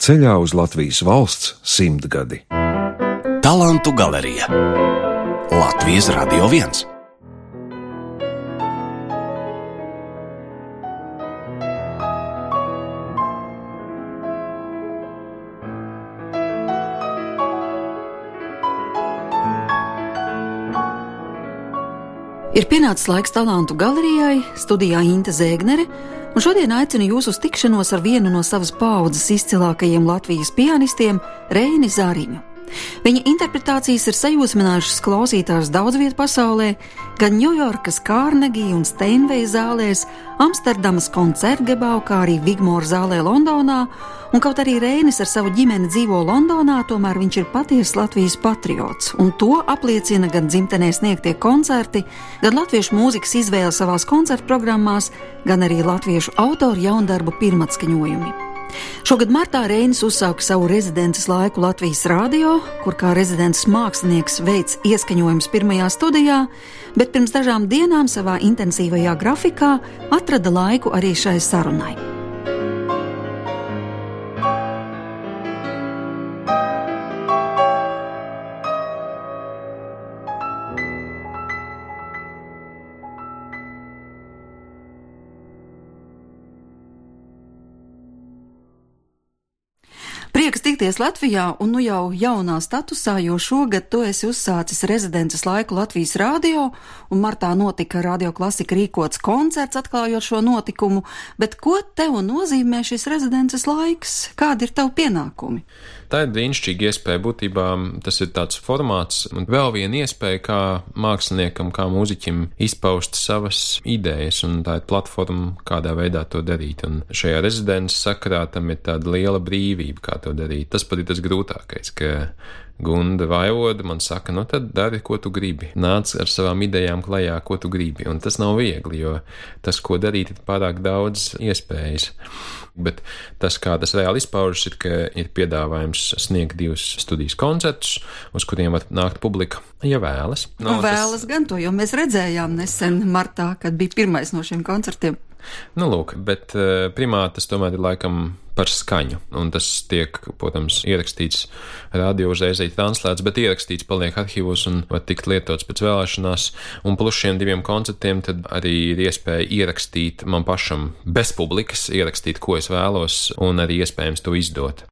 ceļā uz Latvijas valsts 100 gadi. Talantu galerija Latvijas Radio 1. Ir pienācis laiks Talantu galerijai, studijā Inte Zēgnere, un šodien aicinu jūs uz tikšanos ar vienu no savas paaudzes izcilākajiem Latvijas pianistiem, Reini Zariņu. Viņa interpretācijas ir sajūsminājušas klausītājus daudz viet pasaulē, gan Ņujorkas Kārnegija un Steinveja zālēs, Amsterdamas koncertgebau, kā arī Vigmora zālē Londonā, un kaut arī Reinis ar savu ģimeni dzīvo Londonā, tomēr viņš ir patiesas Latvijas patriots, un to apliecina gan dzimtenē sniegtie koncerti, gan latviešu mūzikas izvēle savās koncertprogrammās, gan arī latviešu autoru jaundarbu pirmatskaņojumi. Šogad martā Reinis uzsāka savu rezidences laiku Latvijas radio, kur kā rezidences mākslinieks veic ieskaņojums pirmajā studijā, bet pirms dažām dienām savā intensīvajā grafikā atrada laiku arī šai sarunai. Prieks tikties Latvijā un nu jau jaunā statusā, jo šogad tu esi uzsācis rezidences laiku Latvijas radio, un martā notika Radio Klasika rīkots koncerts atklājot šo notikumu, bet ko tev nozīmē šis rezidences laiks? Kādi ir tavi pienākumi? Tā ir brīnišķīga iespēja, būtībā tas ir tāds formāts un vēl viena iespēja kā māksliniekam, kā mūziķim izpaust savas idejas, un tā ir platforma, kādā veidā to darīt, un šajā rezidences sakarā tam ir tāda liela brīvība, kā to darīt. Tas pat ir tas grūtākais, ka Gunda Vaivoda man saka, nu tad dari, ko tu gribi. Nāc ar savām idejām klajā, ko tu gribi. Un tas nav viegli, jo tas, ko darīt, ir pārāk daudz iespējas. Bet tas, kā tas reāli izpaužas, ir, ka ir piedāvājums sniegt 2 studijas koncertus, uz kuriem var nākt publika, ja vēlas. Vēlas gan to, jo mēs redzējām nesen martā, kad bija pirmais no šiem koncertiem. Nu, lūk, bet primāri tas tomēr ir laikam par skaņu, un tas tiek, protams, ierakstīts radio uzreiz translēts, bet ierakstīts paliek arhīvos un var tikt lietots pēc vēlēšanās, un plus šiem 2 koncertiem tad arī ir iespēja ierakstīt man pašam bez publikas, ierakstīt, ko es vēlos, un arī iespējams to izdot.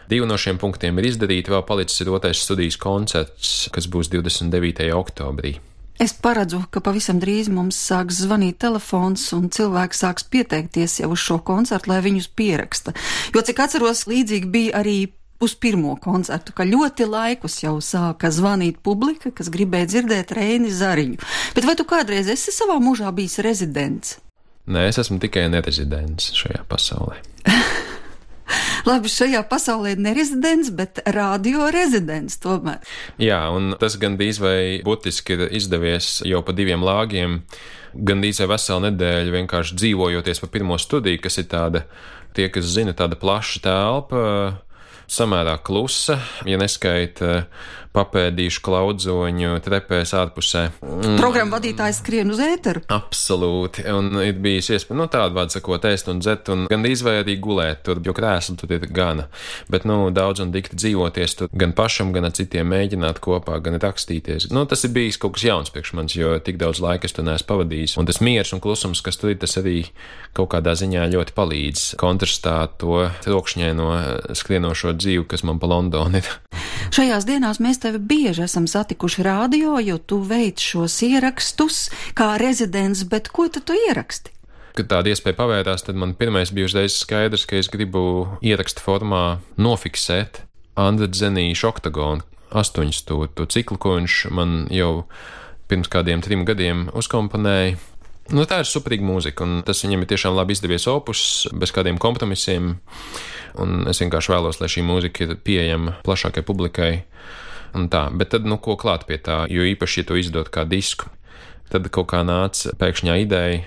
2 no šiem punktiem ir izdarīti, vēl palicis ir 2. studijas koncerts, kas būs 29. oktobrī. Es paredzu, ka pavisam drīz mums sāks zvanīt telefons un cilvēki sāks pieteikties jau uz šo koncertu, lai viņus pieraksta. Jo, cik atceros, līdzīgi bija arī uz pirmo koncertu, ka ļoti laikus jau sāka zvanīt publika, kas gribēja dzirdēt Reini Zariņu. Bet vai tu kādreiz esi savā mūžā bijis rezidents? Nē, es esmu tikai nerezidents šajā pasaulē. Labi, šajā pasaulē nerezidents, bet radio rezidents tomēr. Jā, un tas gandrīz vai būtiski ir izdevies jau pa 2 lāgiem, gandrīz vai veselu nedēļu vienkārši dzīvojoties pa pirmo studiju, kas ir tāda, tie, kas zina, tāda plaša telpa, samērā klusa, ja neskaita papēdīšu klaudzoņu trepēs ārpusē. Programma vadītājs skrien uz ēteru? Absolūti, un ir bijis iespēja, nu tādu vārdu sakot, ēst un dzert, un gandrīz vai arī gulēt tur, jo krēsli tur ir gana. Bet, nu, daudz un dikti dzīvoties tur gan pašam, gan ar citiem mēģināt kopā, gan rakstīties. Nu, tas ir bijis kaut kas jauns priekš manis, jo tik daudz laika es to neesmu pavadījis. Un tas miers un klusums, kas tur ir, tas arī kaut kādā ziņā ļoti palīdz kontrastā to trokšņaino skrienošo dzīvi, kas man pa Londonu ir. Šajās dienās mēs tevi bieži esam satikuši radio, jo tu veic šos ierakstus kā rezidents, bet ko tu ieraksti? Kad tāda iespēja pavērās, tad man pirmais bija uzreiz skaidrs, ka es gribu ierakstu formā nofiksēt Andra Dzenīša Oktagonu 8 stūru ciklu, ko viņš man jau pirms kādiem 3 gadiem uzkomponēja. Nu, tā ir superīga mūzika, un tas viņam ir tiešām labi izdevies opus, bez kādiem kompromisiem, un es vienkārši vēlos, lai šī mūzika ir pieejama plašākai publikai, un tā. Bet tad, nu, ko klāt pie tā, jo īpaši, ja to izdot kā disku, tad kaut kā nāca pēkšņā ideja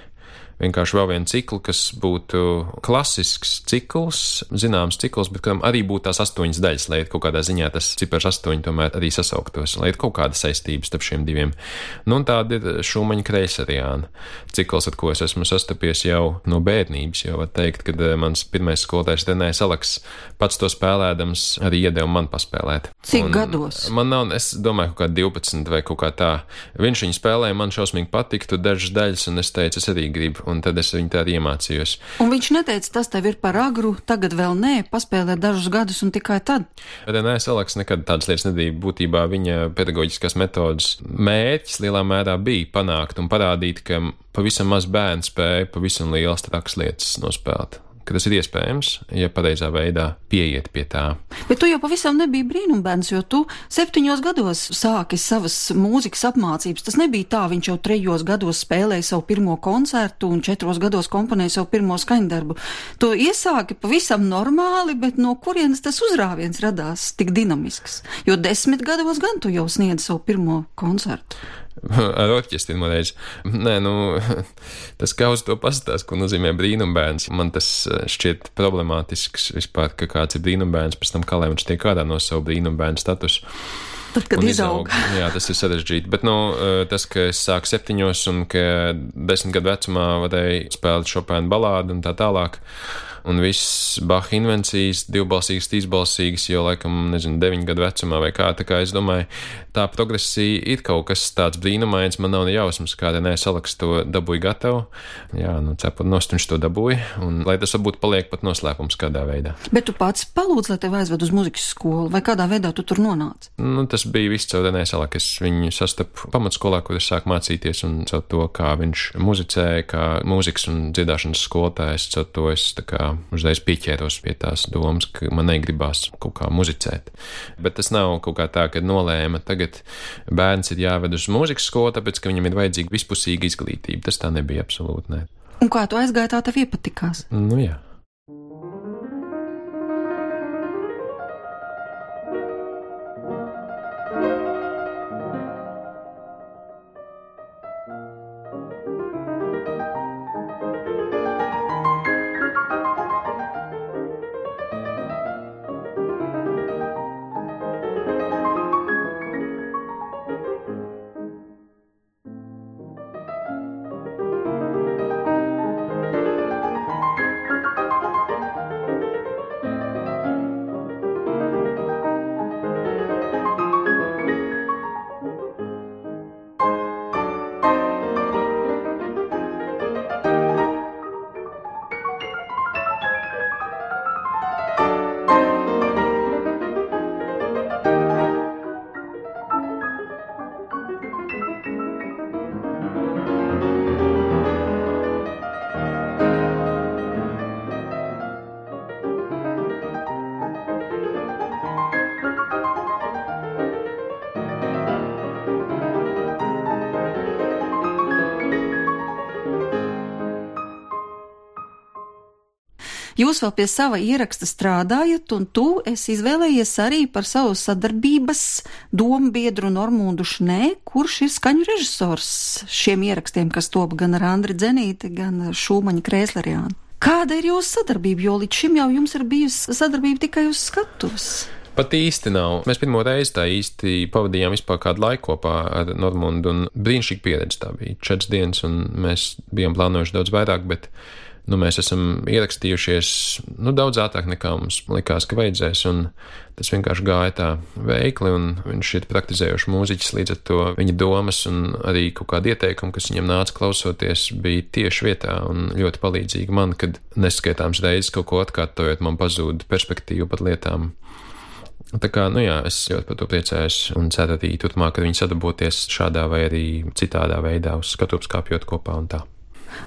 vienkārši vēl vienu ciklu, kas būtu klasisks cikls, zināms cikls, bet kuram arī būtu tās 8 daļas, lai kaut kādā ziņā tas cipars 8 tomēr arī sasauktos, lai ir kaut kāda saistības starp šiem diviem. Nu, un tāda ir Šumaņa Kreiseriāna cikls, ar ko es esmu sastapies jau no bērnības, jo var teikt, kad mans pirmais skolotājs Renējs Aleks pats to spēlēdams arī iedeva man paspēlēt. Cik gados? Man nav, es domāju, kaut kā 12 vai kaut kā tā. Viņš viņu spēlēja, man šausmīgi patiktu dažas daļas, un es teicu, es arī gribu, un tad es viņu tā arī iemācījos. Un viņš neteica, tas tev ir par agru, tagad vēl nē, paspēlē dažus gadus un tikai tad? Renējs Aleks nekad tādas lietas nedīja. Būtībā viņa pedagoģiskās metodas mērķis lielā mērā bija panākt un parādīt, ka pavisam maz bērni spēja pavisam lielas trakas lietas nospēlēt. Ka tas ir iespējams, ja pareizā veidā pieiet pie tā. Bet tu jau pavisam nebija brīnumbērns, jo tu 7 gados sāki savas mūzikas apmācības. Tas nebija tā, viņš jau 3 gados spēlēja savu pirmo koncertu un 4 gados komponēja savu pirmo skaņdarbu. Tu iesāki pavisam normāli, bet no kurienes tas uzrāviens radās tik dinamisks? Jo 10 gados gan tu jau sniedzi savu pirmo koncertu. Ar orķestri reiz. Nē, tas kā uz to pastāst, ko nozīmē brīnumbērns. Man tas šķiet problemātisks vispār, ka kāds ir brīnumbērns, pēc tam kā lai viņš tiek ārā no savu brīnumbērnu statusu. Tad, kad izaug. Jā, tas ir sarežģīti. Bet, tas, ka es sāku 7 un ka 10 gadu vecumā varēju spēlēt Šopēna balādu un tā tālāk. Un viss Baha invencijas, divbalsīgas, trīsbalsīgas, jo laikam, 9 gadu vecumā vai kā, tā kā es domāju, tā progresija ir kaut kas tāds brīnumains, man nav ne jausmas, kā Renējs Aleks to dabūja gatavu. Jā, cepot nost viņš to dabūja, un lai tas varbūt paliek pat noslēpums kādā veidā. Bet tu pats palūdz, lai tev aizved uz muzikas skolu, vai kādā veidā tu tur nonāci? Tas bija viss caur Renējs Aleks. Es viņu sastapu pamatskolā, kur es sāku mācīties, un caur to, kā viņš muzicēja, kā mūzikas un dziedāšanas skolotājs, caur to es tā kā uzreiz pieķēros pie tās domas, ka man negribās kaut kā muzicēt. Bet tas nav kaut kā tā, ka nolēma, tagad bērns ir jāved uz mūzikas skolu, tāpēc, ka viņam ir vajadzīga vispusīga izglītība. Tas tā nebija absolūti, nē. Un kā tu aizgāji, tā tev iepatikās? Jā. Jūs vēl pie sava ieraksta strādājat, un tu esi izvēlējies arī par savu sadarbības dombiedru Normundu Šnē, kurš ir skaņu režisors šiem ierakstiem, kas top gan ar Andri Dzenīti, gan Šumaņa Kreiseriānu. Kāda ir jūsu sadarbība, jo līdz šim jau jums ir bijusi sadarbība tikai uz skatuves? Pat īsti nav. Mēs pirmo reizi tā īsti pavadījām vispār kādu laiku kopā ar Normundu, un brīnišķīgi pieredze tā bija. 4 dienas, un mēs bijām plānojuši daudz vairāk, bet mēs esam ierakstījušies daudz ātrāk nekā mums likās, ka vajadzēs, un tas vienkārši gāja tā veikli, un viņš ir praktizējuši mūziķis, līdz ar to viņa domas un arī kaut kādi ieteikumi, kas viņam nāca klausoties, bija tieši vietā un ļoti palīdzīgi man, kad neskaitāms reizes kaut ko atkārtojot, man pazūd perspektīvu pat lietām. Tā kā, es ļoti par to priecājos un ceru arī turpmāk, ka viņi sadarboties šādā vai arī citādā veidā uz skatuves kāpjot kopā un tā.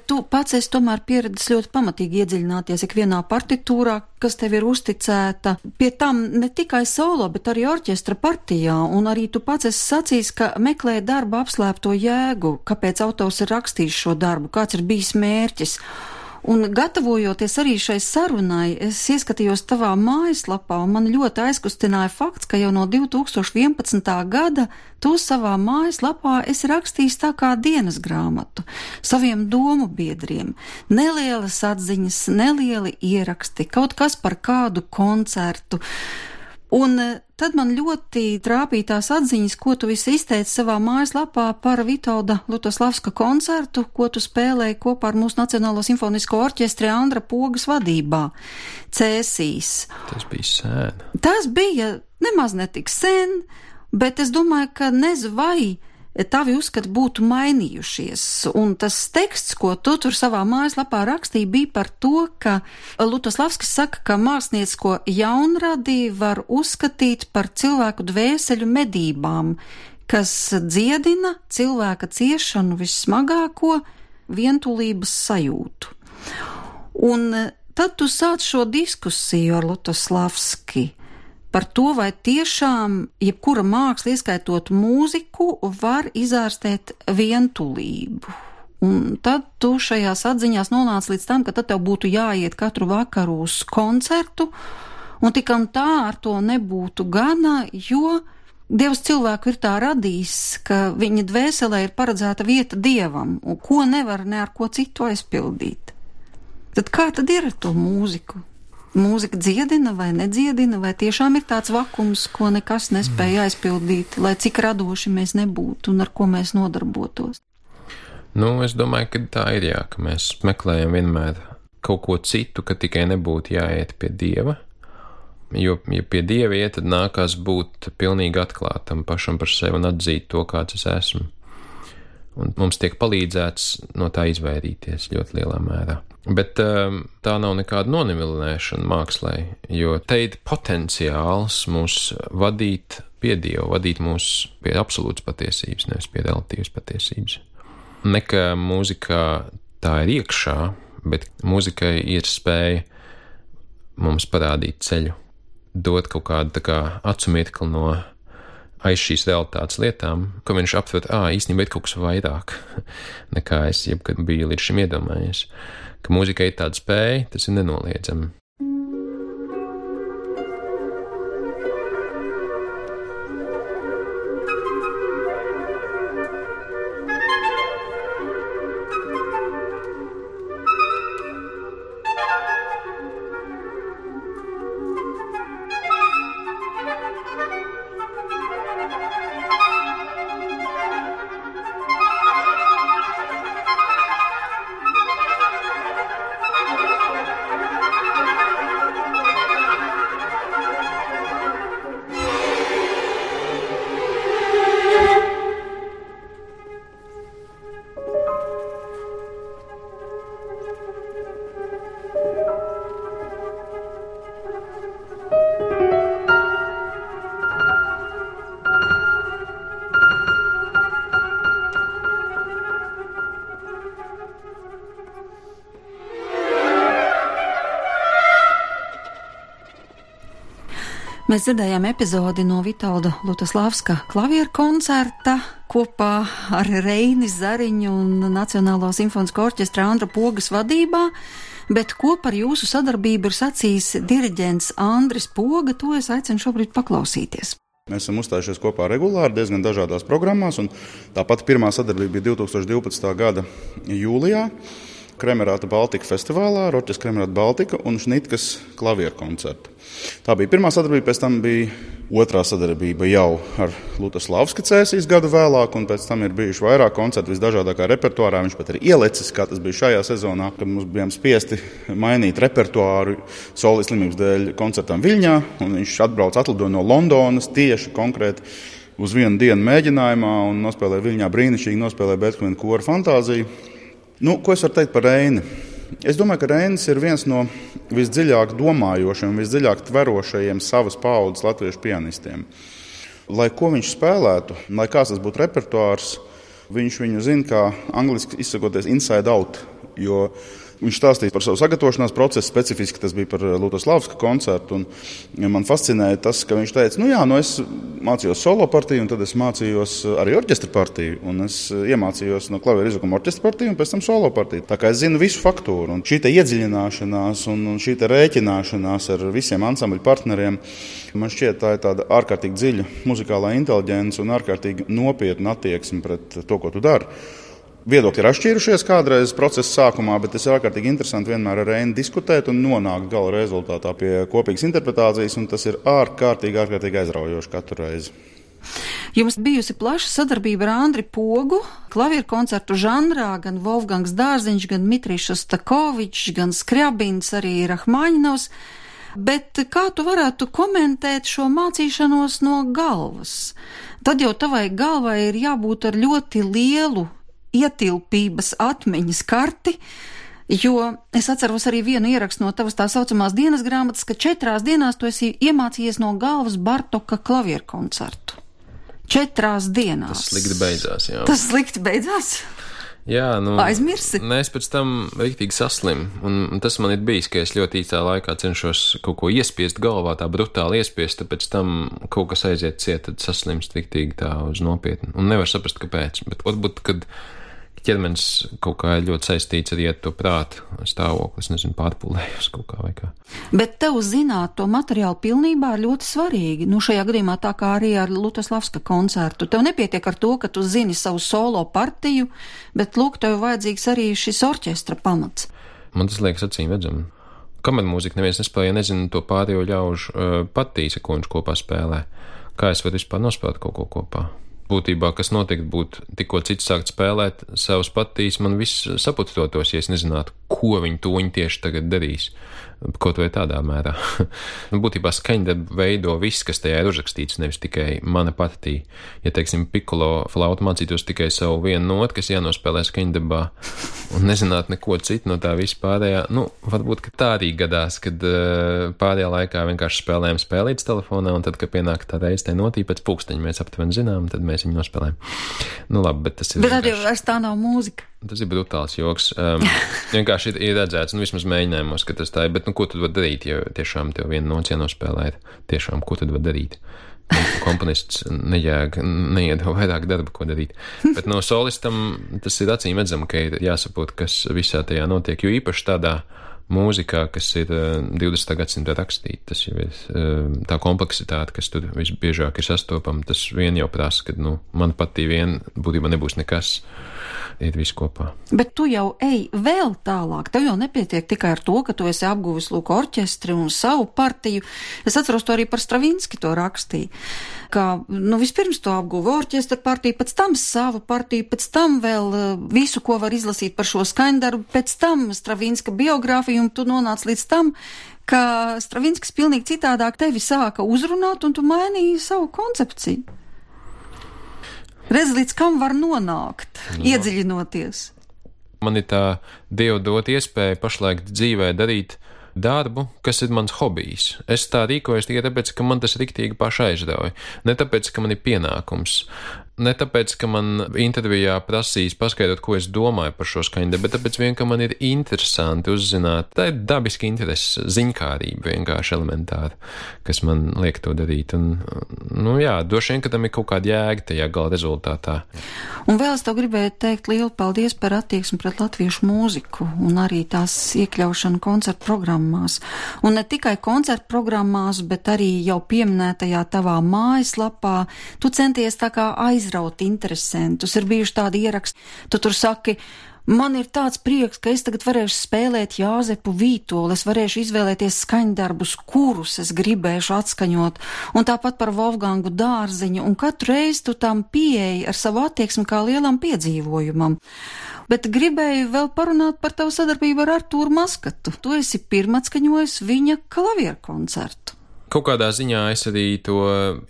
Tu pats esi tomēr pieredzis ļoti pamatīgi iedziļināties ikvienā partitūrā, kas tev ir uzticēta, pie tam ne tikai solo, bet arī orķestra partijā, un arī tu pats esi sacījis, ka meklē darba apslēpto jēgu, kāpēc autors ir rakstījis šo darbu, kāds ir bijis mērķis. Un gatavojoties arī šai sarunai, es ieskatījos tavā mājaslapā, un man ļoti aizkustināja fakts, ka jau no 2011. gada tu savā mājaslapā esi rakstījis tā kā dienas grāmatu saviem domu biedriem. Nelielas atziņas, nelieli ieraksti, kaut kas par kādu koncertu. Un tad man ļoti trāpīja tās atziņas, ko tu visi izteici savā mājaslapā par Vitolda Lutoslavska koncertu, ko tu spēlēji kopā ar mūsu Nacionālo simfonisko orķestri Andra Pogas vadībā, Cēsīs. Tas bija sen. Tas bija nemaz netik sen, bet es domāju, ka nezinu vai tavi uzskati būtu mainījušies, un tas teksts, ko tu tur savā mājaslapā rakstīji, bija par to, ka Lutoslavskis saka, ka māksliniecisko jaunradi var uzskatīt par cilvēku dvēseļu medībām, kas dziedina cilvēka ciešanu vissmagāko vientulības sajūtu. Un tad tu sāc šo diskusiju ar Lutoslavski par to, vai tiešām jebkura māksla, ieskaitot mūziku, var izārstēt vientulību. Un tad tu šajās atziņās nonāc līdz tam, ka tad tev būtu jāiet katru vakaru uz koncertu, un tik un tā ar to nebūtu gana, jo Dievs cilvēku ir tā radījis, ka viņa dvēselē ir paredzēta vieta Dievam, un ko nevar ne ar ko citu aizpildīt. Tad kā tad ir ar to mūziku? Mūzika dziedina vai nedziedina, vai tiešām ir tāds vakums, ko nekas nespēja aizpildīt, lai cik radoši mēs nebūtu un ar ko mēs nodarbotos? Es domāju, ka tā ir ka mēs meklējam vienmēr kaut ko citu, ka tikai nebūtu jāiet pie Dieva, jo, ja pie Dieva iet, tad nākās būt pilnīgi atklātam pašam par sevi un atzīt to, kāds es esmu. Un mums tiek palīdzēts no tā izvairīties ļoti lielā mērā. Bet tā nav nekāda nonivilināšana mākslai, jo te ir potenciāls mūs vadīt pie Dieva, vadīt mūs pie absolūtas patiesības, nevis pie relatīvas patiesības. Ne ka mūzikā tā ir iekšā, bet mūzikai ir spēja mums parādīt ceļu, dot kaut kādu tā kā acumirkli no aiz šīs realitātes lietām, ko viņš aptver, īstenībā ir kaut kas vairāk, nekā es jebkad biju līdz šim iedomājies. Ka mūzikai ir tāda spēja, tas ir nenoliedzami. Mēs dzirdējām epizodi no Vitolda Lutoslavska klavieru koncerta kopā ar Reini Zariņu un Nacionālo simfonisko orķestra Andra Pogas vadībā, bet ko par jūsu sadarbību ir sacījis diriģents Andris Poga, to es aicinu šobrīd paklausīties. Mēs esam uzstājušies kopā regulāri diezgan dažādās programmās, un tāpat pirmā sadarbība bija 2012. gada jūlijā. Kremerāta Baltika festivālā, Roķes Kremerāta Baltika un Šnitkas klavieru koncertu. Tā bija pirmā sadarbība, pēc tam bija otrā sadarbība jau ar Lutoslavska Cēsīs gadu vēlāk, un pēc tam ir bijuši vairāk koncertu visdažādākā repertuārā. Viņš pat ir ielecis, kā tas bija šajā sezonā, kad mums bijām spiesti mainīt repertuāru Solis slimības dēļ koncertam Viļņā, un viņš atlidoja no Londonas tieši konkrēti uz vienu dienu mēģinājumā un nospēlēja Viļņā brīnišķīgi, nospēlēja Beethovena kora fantāziju. Ko es varu teikt par Reini? Es domāju, ka Reinis ir viens no visdziļāk domājošiem, visdziļāk tverošajiem savas paaudzes latviešu pianistiem. Lai ko viņš spēlētu, lai kāds tas būtu repertuārs, viņš viņu zina, kā angliski izsakoties inside out, jo Viņš stāstīja par savu sagatavošanās procesu, specifiski tas bija par Lutoslavska koncertu. Man fascinēja tas, ka viņš teica, es mācījos solo partiju, un tad es mācījos arī orķestra partiju. Un es iemācījos no klavieru izvukuma orķestra partiju un pēc tam solo partiju. Tā kā es zinu visu faktūru. Un šī iedziļināšanās un šī rēķināšanās ar visiem ansambļu partneriem, man šķiet, tā ir tāda ārkārtīgi dziļa muzikālā inteliģence un ārkārtīgi nopietna attieksme pret to, ko tu dari. Viedokļi ir atšķīrušies kādreiz procesa sākumā, bet tas ir ārkārtīgi interesanti vienmēr ar Reini diskutēt un nonākt gala rezultātā pie kopīgas interpretācijas, un tas ir ārkārtīgi aizraujoši katru reizi. Jums bijusi plaša sadarbība ar Andri Pogu, klavieru koncertu žanrā, gan Wolfgangs Dārziņš, gan Dmitrijs Šostakovičs, gan Skriabins, arī Rahmaņinovs. Bet kā tu varētu komentēt šo mācīšanos no galvas? Tad jau tavai galvai ir jābūt ar ļoti lielu ietilpības atmiņas karti, jo es atceros arī vienu ierakstu no tavas tā saucamās dienas grāmatas, ka 4 dienās tu esi iemācījies no galvas Bartoka klavieru koncertu. 4 dienās. Tas slikti beidzās, jā. Tas slikti beidzās? Jā, aizmirsi? Es pēc tam riktīgi saslimu, un tas man ir bijis, ka es ļoti īsā laikā cenšos kaut ko iespiest galvā, tā brutāli iespiest, tad pēc tam kaut kas aiziet ciet, tad saslimst riktīgi tā uz nopietni, un nevar saprast, kāpēc, bet varbūt, kad ķermenis kaut kā ļoti saistīts arī ar to prātu stāvoklis, nezinu, pārpūlējos kaut kā vai kā. Bet tev zināt to materiālu pilnībā ir ļoti svarīgi. Šajā gadījumā tā kā arī ar Lutoslavska koncertu. Tev nepietiek ar to, ka tu zini savu solo partiju, bet lūk, tev vajadzīgs arī šis orķestra pamats. Man tas liekas acīm redzami. Kamermūzika neviens nespēja, nezinu to pārējo ļaužu partijas, ko viņš kopā spēlē. Kā es varu vispār nospēlēt kaut ko kopā? Būtībā, kas notiek, būtu tikko cits sākt spēlēt savus partijas, man viss saputotos, ja es nezinātu, ko viņi toņi tieši tagad darīs. Kaut vai tādā mērā. Būtībā skaņdarbu veido viss, kas tajā ir uzrakstīts, nevis tikai mana partija. Ja, teiksim, pikolo flautu mācītos tikai savu vienu notu, kas jānospēlē skaņdarbā, un nezinātu neko citu no tā vispārējā, varbūt, ka tā arī gadās, kad pārējā laikā vienkārši spēlējam spēlītas telefonā, un tad, kad pienāk tā reize tai notī pēc pulksteņa, mēs aptuveni zinām, tad mēs viņu nospēlējam. Labi, bet tas ir Bet tad jau vairs tā nav mūzika. Tas ir brutāls joks. Vienkārši ir redzēts, vismaz mēģinājumos, ka tas tā ir, bet ko tad var darīt, ja tiešām tev vienu noci jānospēlēt? Tiešām, ko tad var darīt? Komponists neiedod vairāk darba, ko darīt. Bet no solistam tas ir acīm redzam, ka ir jāsaprot, kas visā tajā notiek, jo īpaši tādā mūzikā, kas ir 20. gadsimta rakstīta, tas jau ir tā kompleksitāte, kas tur visbiežāk ir sastopama, tas vien jau prasa, ka, man patīk vien būtībā nebūs nekas, ir viss kopā. Bet tu jau ej vēl tālāk, tev jau nepietiek tikai ar to, ka tu esi apguvis lūk orķestri un savu partiju. Es atceros to arī par Stravinski to rakstīja, ka, vispirms to apguva orķestra partiju, pēc tam savu partiju, pēc tam vēl visu, ko var izlasīt par šo skaņdarbu, pēc tam Stravinska biogrāfiju, un tu nonāc līdz tam, ka Stravinskis pilnīgi citādāk tevi sāka uzrunāt, un tu mainīji savu koncepciju. Redz, līdz kam var nonākt, iedziļinoties. Man ir tā Dieva dot iespēja pašlaik dzīvē darīt darbu, kas ir mans hobijs. Es tā rīkojos tikai tāpēc, ka man tas riktīgi paši aizrauja. Ne tāpēc, ka man ir pienākums. Ne tāpēc, ka man intervijā prasīs paskaidrot, ko es domāju par šo skaņdarbu, bet tāpēc vien, ka man ir interesanti uzzināt. Tā ir dabiski interesi, ziņkārība vienkārši elementāra, kas man liek to darīt. Un, droši vien, ka tam ir kaut kāda jēga tajā gala rezultātā. Un vēl es tev gribēju teikt lielu paldies par attieksmi pret latviešu mūziku un arī tās iekļaušanu koncertu programmās. Un ne tikai koncertu programmās, bet arī jau pieminētajā tavā mājaslapā. Tu centies tā kā aizraut interesantus. Ir bijuši tādi ieraksti, tu tur saki, man ir tāds prieks, ka es tagad varēšu spēlēt Jāzepu Vītoli, es varēšu izvēlēties skaņdarbus, kurus es gribēšu atskaņot, un tāpat par Wolfgangu Dārziņu, un katru reizi tu tam pieeji ar savu attieksmi kā lielam piedzīvojumam. Bet gribēju vēl parunāt par tavu sadarbību ar Artūru Maskatu. Tu esi pirmatskaņojis viņa klavieru koncertu. Kaut kādā ziņā es arī to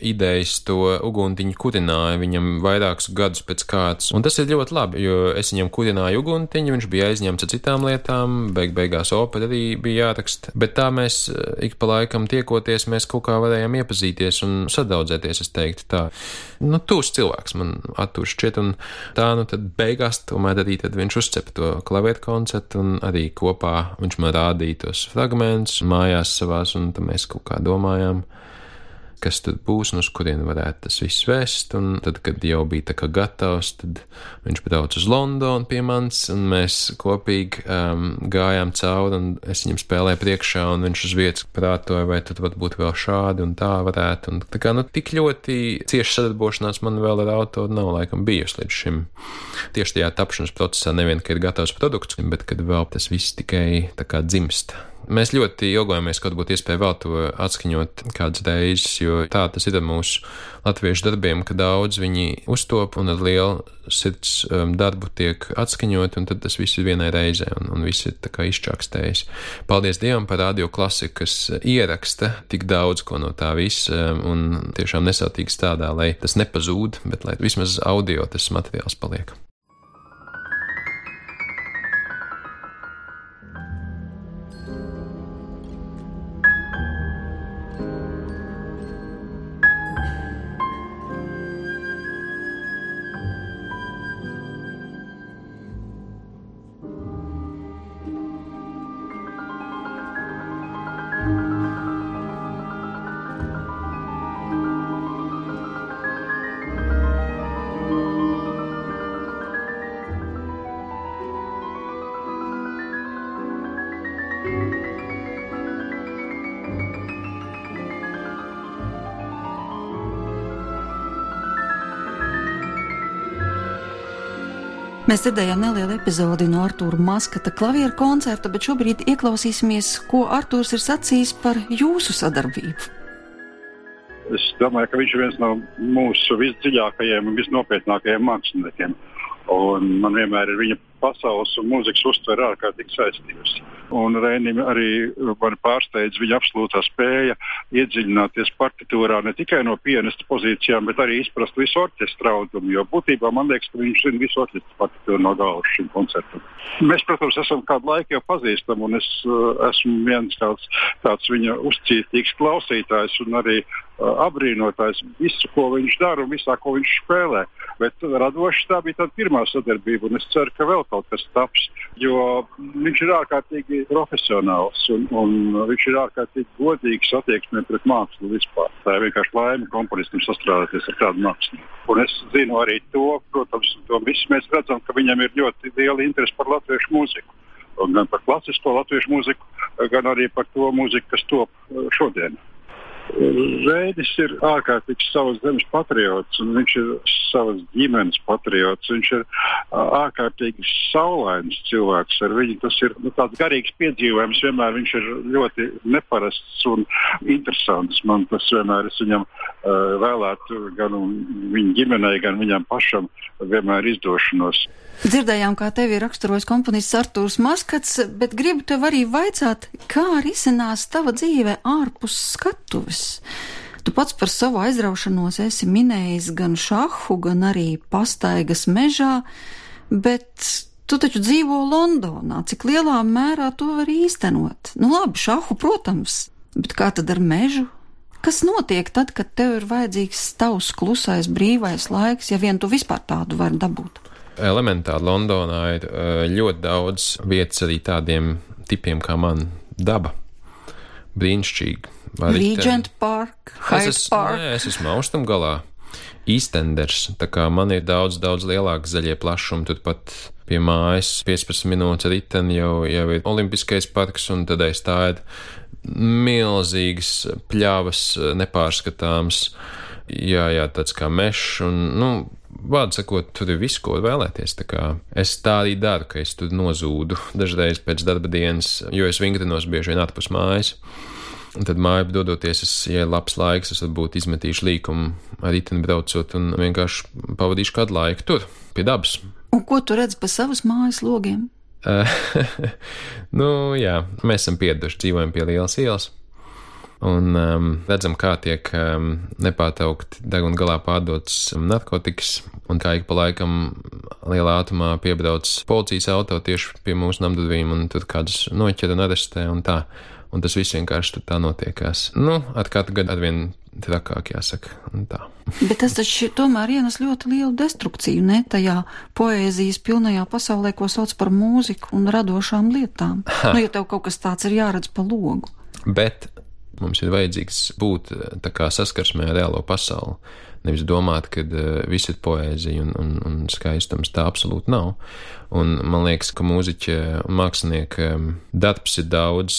idejas, to uguntiņu kurināju viņam vairākus gadus pēc kārtas. Un tas ir ļoti labi, jo es viņam kurināju uguntiņu, viņš bija aizņemts ar citām lietām, beigās opera arī bija jāraksta. Bet tā mēs ik pa laikam tiekoties, mēs kaut kā varējām iepazīties un sadraudzēties, es teiktu tā. Tūs cilvēks man Artūrs šķiet, un tā, tad beigās tomēr arī tad viņš uzcepa to klavieru koncertu un arī kopā viņš man rādīja tos fragmentus mājās savās, un tad mēs kaut kā domājām, kas tad būs un uz kurien varētu tas viss vest, un tad, kad jau bija tā kā gatavs, tad viņš brauc uz Londonu pie manis, un mēs kopīgi gājām cauri, un es viņam spēlēju priekšā, un viņš uz vietas prātoja, vai tad varbūt vēl šādi un tā varētu, un tā kā, tik ļoti cieši sadarbošanās man vēl ar autoru nav laikam bijusi līdz šim. Tieši tajā tapšanas procesā nevien, ka ir gatavs produkts, bet kad vēl tas viss tikai tā kā dzimst. Mēs ļoti ilgojamies, kaut būtu iespēja vēl to atskaņot kādas reizes, jo tā tas ir ar mūsu latviešu darbiem, ka daudz viņi uztop un ar lielu sirds darbu tiek atskaņot, un tad tas viss ir vienai reizē, un viss ir tā kā izčākstējis. Paldies Dievam par Radio Klasiku, kas ieraksta tik daudz ko no tā visa, un tiešām nesautīgi strādā, lai tas nepazūd, bet lai vismaz audio tas materiāls paliek. Mēs dzirdējām nelielu epizodi no Artūra Maskata klavieru koncerta, bet šobrīd ieklausīsimies, ko Artūrs ir sacījis par jūsu sadarbību. Es domāju, ka viņš ir viens no mūsu visdziļākajiem un visnopietnākajiem māksliniekiem. Un man vienmēr ir viņa pasaules un mūzikas uztvere ārkārtīgi saistījusi. Un Reinim arī man pārsteidz viņa absolūtā spēja iedziļināties partitūrā ne tikai no pianista pozīcijām, bet arī izprast visu orķestra audumu, jo būtībā man liekas, ka viņš zina visu orķestra partitūru no galvas šim koncertam. Mēs, protams, esam kādu laiku jau pazīstam, un es esmu viens tāds viņa uzcītīgs klausītājs un arī apbrīnotājs visu, ko viņš dara un visā, ko viņš spēlē. Bet radoši tā bija tāda pirmā sadarbība, un es ceru, ka vēl kaut kas taps, jo viņš ir ārkārtīgi profesionāls un viņš ir ārkārtīgi godīgs attieksmē pret mākslu vispār. Tā ir vienkārši laime komponistam sastrādāties ar tādu mākslu. Un es zinu arī to, protams, to visu mēs redzam, ka viņam ir ļoti liela interese par latviešu mūziku. Un gan par klasisko latviešu mūziku, gan arī par to mūziku, kas top šodien. Reinis ir ārkārtīgs savas zemes patriots, un viņš ir savas ģimenes patriots. Viņš ir ārkārtīgi saulains cilvēks. Ar viņu tas ir tāds garīgs piedzīvojums. Vienmēr viņš ir ļoti neparasts un interesants. Man tas vienmēr es viņam vēlētu gan viņa ģimenei, gan viņam pašam vienmēr izdošanos. Dzirdējām, kā tevi raksturojis komponists Artūrs Maskats, bet gribu tev arī vaicāt, kā risinās tava dzīve ārpus skatuves? Tu pats par savu aizraušanos esi minējis gan šahu, gan arī pastaigas mežā, bet tu taču dzīvo Londonā. Cik lielā mērā to var īstenot? Labi, šahu, protams, bet kā tad ar mežu? Kas notiek tad, kad tev ir vajadzīgs tavs klusais, brīvais laiks, ja vien tu vispār tādu vari dabūt? Elementāri Londonā ir ļoti daudz vietas arī tādiem tipiem kā man. Daba. Brīnišķīgi. Regent Park, Hyde Park. Nē, es esmu austrumu galā. Eastenders, tā kā man ir daudz lielāki zaļie plašumi, turpat pie mājas 15 minūtes riteni jau ir Olimpiskais parks, un tad aiz tā ir milzīgas pļavas, nepārskatāms, jā, tāds kā mešs, un, vārdu sakot, tur ir viss, ko vēlēties. Tā kā es tā arī daru, ka es tur nozūdu dažreiz pēc darba dienas, jo es vingrinos bieži vien ārpus mājas. Un tad māju dodoties, ja ir labs laiks, es varbūt izmetīšu līkumu ar riteni braucot un vienkārši pavadīšu kādu laiku tur, pie dabas. Un ko tu redzi pa savas mājas logiem? Jā, mēs esam pieraduši, dzīvojam pie lielas ielas. un redzam, kā tiek nepārtraukti deguna galā pārdotas narkotikas, un kā ik pa laikam lielā ātrumā piebrauc policijas auto tieši pie mūsu namdurvīm, un tur kādus noķer un arestē, un tā. Un tas viss vienkārši tur tā notiekās. Ar katru gadu arvien trakāk, jāsaka, un tā. Bet tas taču tomēr ienes ļoti lielu destrukciju, ne? Tajā poēzijas pilnajā pasaulē, ko sauc par mūziku un radošām lietām. Ja tev kaut kas tāds ir jāredz pa logu. Bet mums ir vajadzīgs būt tā kā saskarsmē ar reālo pasauli. Nevis domāt, ka viss ir poēzija un skaistums, tā absolūti nav. Un man liekas, ka mūziķa un mākslinieka darbs ir daudz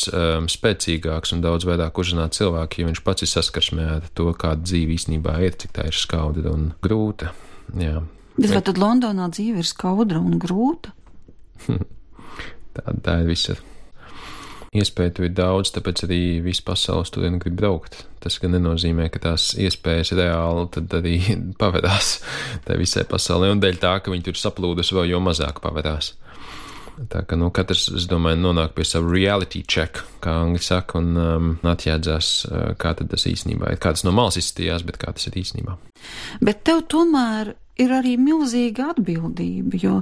spēcīgāks un daudz vairāk uzrunāt cilvēku, ja viņš pats ir saskarsmē ar to, kāda dzīve īstenībā ir, cik tā ir skaudra un grūta. Jā. Bet vai tad Londonā dzīve ir skaudra un grūta? Tā ir visa. Iespēju tur ir daudz, tāpēc arī visu pasaules turien grib braukt. Tas gan nenozīmē, ka tās iespējas reāli tad arī pavedās tā visai pasaulē, un dēļ tā, ka viņi tur saplūdus vēl jo mazāk pavedās. Tā ka, katrs, es domāju, nonāk pie savu reality check, kā angļi saka, un atjēdzās, kā tad tas īstenībā ir. Kā tas no malas izstījās, bet kā tas ir īstenībā. Bet tev tomēr ir arī milzīga atbildība, jo,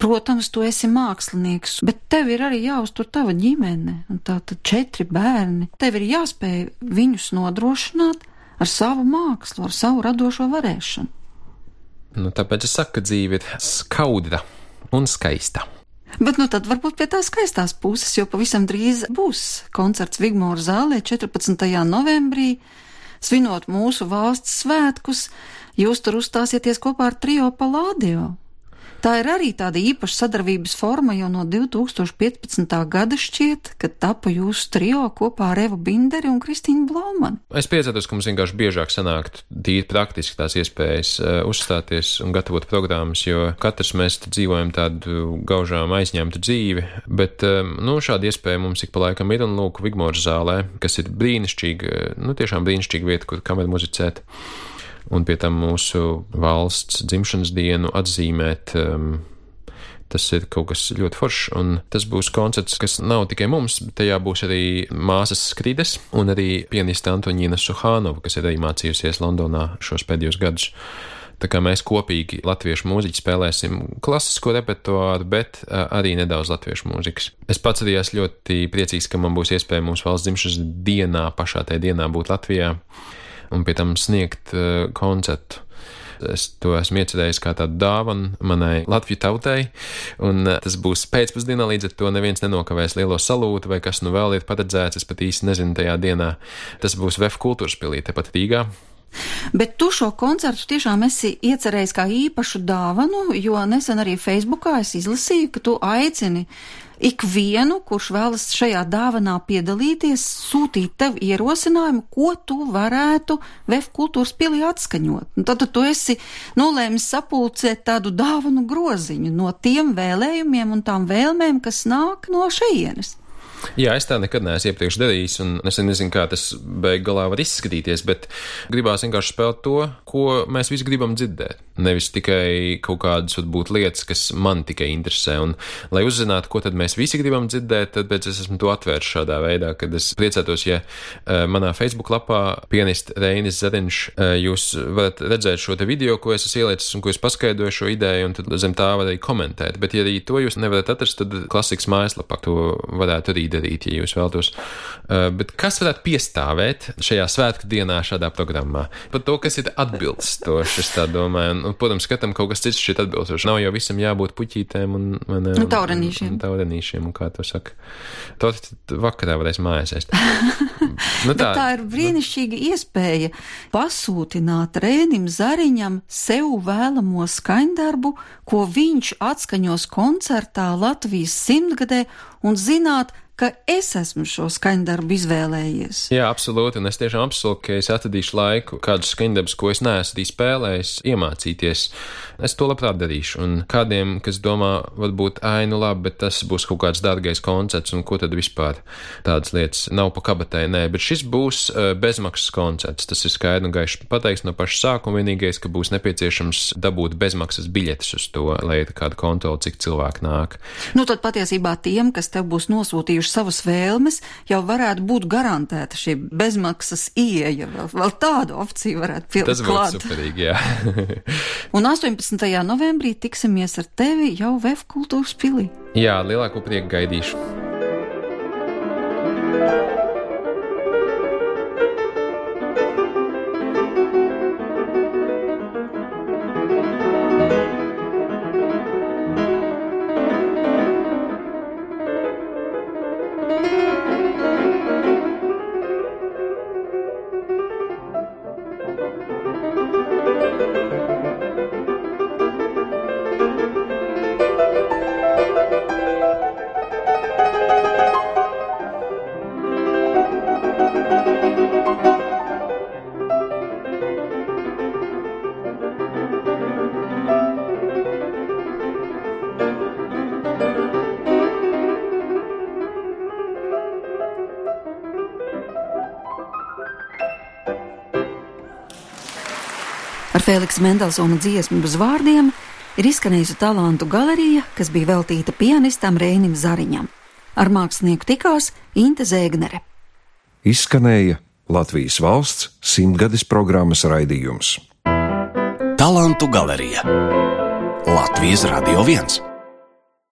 protams, tu esi mākslinieks, bet tev ir arī jāuztur tava ģimene, un tātad 4 bērni. Tev ir jāspēj viņus nodrošināt ar savu mākslu, ar savu radošo varēšanu. Tāpēc es saku, ka dzīve ir skaudra un skaista. Bet tad varbūt pie tā skaistās puses, jo pavisam drīz būs koncerts Vigmora zālē 14. novembrī, svinot mūsu valsts svētkus. Jūs tur uzstāsieties kopā ar trio Palladio. Tā ir arī tāda īpaša sadarbības forma jau no 2015. gada šķiet, kad tapa jūsu trio kopā ar Evu Binderi un Kristīnu Blaumani. Es priecātos, ka mums vienkārši biežāk sanākt tīri praktiski tās iespējas uzstāties un gatavot programmas, jo katrs mēs dzīvojam tādu gaužām aizņemtu dzīvi, bet šāda iespēja mums ik pa laikam ir, un lūk, Vigmora zālē, kas ir brīnišķīga, tiešām brīnišķīga vieta, kur kameru muzicēt. Un pie tam mūsu valsts dzimšanas dienu atzīmēt, tas ir kaut kas ļoti foršs, un tas būs koncerts, kas nav tikai mums, bet tajā būs arī māsas Skrides un arī pianiste Antoņīna Suhānova, kas ir arī mācījusies Londonā šos pēdējos gadus. Tā kā mēs kopīgi latviešu mūziķi spēlēsim klasisko repertuāru, bet arī nedaudz latviešu mūzikas. Es pats arī esmu ļoti priecīgs, ka man būs iespēja mūsu valsts dzimšanas dienā, pašā tajā dienā būt Latvijā un pie tam sniegt koncertu. Es to esmu iecerējis kā tādu dāvanu manai Latviju tautai, un tas būs pēcpusdienā, līdz ar to neviens nenokavēs lielo salūtu, vai kas vēl ir paredzēts, es pat īsti nezinu tajā dienā. Tas būs VF kultūras pilī, tepat Rīgā. Bet tu šo koncertu tiešām esi iecerējis kā īpašu dāvanu, jo nesen arī Facebookā es izlasīju, ka tu aicini ikvienu, kurš vēlas šajā dāvanā piedalīties, sūtīt tev ierosinājumu, ko tu varētu VF kultūras pilī atskaņot. Un tad tu esi nolēmis sapulcēt tādu dāvanu groziņu no tiem vēlējumiem un tām vēlmēm, kas nāk no šejienes. Jā, es tā nekad neesmu iepriekš darījis, un es nezinu, kā tas beig galā var izskatīties, bet gribās vienkārši spēlēt to, ko mēs visi gribam dzirdēt. Nevis tikai kaut kādas varbūt lietas, kas man tikai interesē, un lai uzzinātu, ko tad mēs visi gribam dzirdēt, tad pēc es esmu to atvērts šādā veidā, kad es priecātos, ja manā Facebook lapā pianist Reinis Zariņš, jūs varat redzēt šo te video, ko es esmu ielicis un ko es paskaidroju šo ideju, un tad zem tā var arī komentēt, bet ja arī to jūs nevarat atrast, tad klasikas mājaslapā to varētu arī darīt, ja jūs vēlatos. Bet kas varētu piestāvēt šajā svētku dienā šādā programmā? Par to, kas ir atbilstoši, es tā domāju. Un, protams, skatām kaut kas cits šeit atbilstoši. Nav jau visam jābūt puķītēm un taurenīšiem. Taurenīšiem, un kā to saka. To vakarā varēs mājās ēst. Tā ir brīnišķīga iespēja pasūtināt Reinim Zariņam sev vēlamo skaņdarbu, ko viņš atskaņos koncertā Latvijas 100-gadē, un zināt, ka es esmu šo skaņdarbu izvēlējies. Jā, absolūti, un es tiešām apsolu, ka es atradīšu laiku kādus skaņdarbus, ko es neesmu arī spēlējis, iemācīties. Es to labprāt darīšu, un kādiem, kas domā, varbūt, labi, bet tas būs kaut kāds dārgais koncerts, un ko tad vispār tādas lietas nav pa kabatai, nē, bet šis būs bezmaksas koncerts, tas ir skaidri un gaiši pateikts no paša sākuma, vienīgais, ka būs nepieciešams dabūt bezmaksas biļetes uz to, lai ir kāda kontrola, cik cilvēki nāk. Tad patiesībā tiem, kas tev būs nosūtījuši savas vēlmes, jau varētu būt garantēta šī bezmaksas ieeja. Vēl tādu opciju varētu pielikt klāt. Tas būtu superīgi, jā. Un 18. novembrī tiksimies ar tevi jau VF kultūras pilī. Jā, lielāko prieku gaidīšu. Ar Feliksa Mendelsona dziesmu bez vārdiem ir izskanējusi talantu galerija, kas bija veltīta pianistam Reinim Zariņam. Ar mākslinieku tikās Inte Zēgnere. Izskanēja Latvijas valsts 100-gades programmas raidījums. Talantu galerija Latvijas Radio 1.